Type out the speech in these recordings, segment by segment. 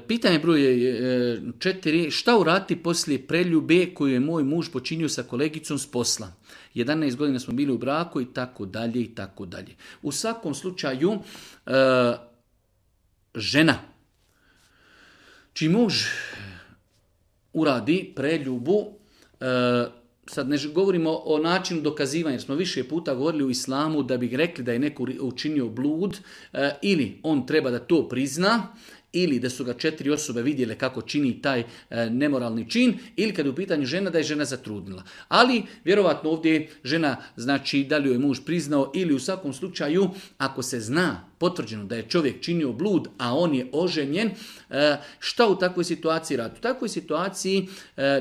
Pitanje broj 4. Šta uraditi poslije preljube koju je moj muž počinio sa kolegicom s posla? 11 godina smo bili u braku i tako dalje i tako dalje. U svakom slučaju žena čiji muž uradi preljubu, sad ne govorimo o načinu dokazivanja, jer smo više puta govorili u islamu da bi rekli da je neko učinio blud, ili on treba da to prizna, ili da su ga 4 osobe vidjele kako čini taj nemoralni čin, ili kad je u pitanju žena, da je žena zatrudnila. Ali vjerovatno ovdje žena, znači da li joj je muž priznao, ili u svakom slučaju ako se zna potvrđeno da je čovjek činio blud, a on je oženjen, šta u takvoj situaciji raditi? U takvoj situaciji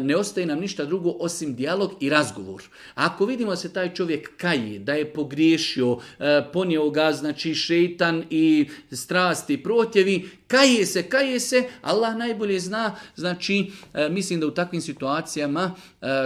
ne ostaje nam ništa drugo osim dijalog i razgovor. Ako vidimo da se taj čovjek kaje, da je pogriješio, ponio ga, znači šeitan i strasti i protjevi, kaje se, Allah najbolje zna, znači mislim da u takvim situacijama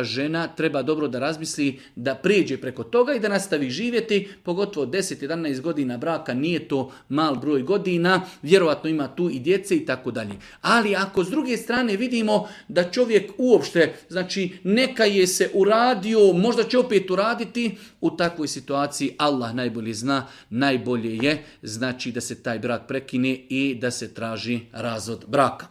žena treba dobro da razmisli, da prijeđe preko toga i da nastavi živjeti, pogotovo 10-11 godina braka, nije to mal broj godina, vjerovatno ima tu i djece i tako dalje. Ali ako s druge strane vidimo da čovjek uopšte, znači neka je se uradio, možda će opet uraditi, u takvoj situaciji Allah najbolje zna, najbolje je znači da se taj brak prekine i da se traži razvod braka.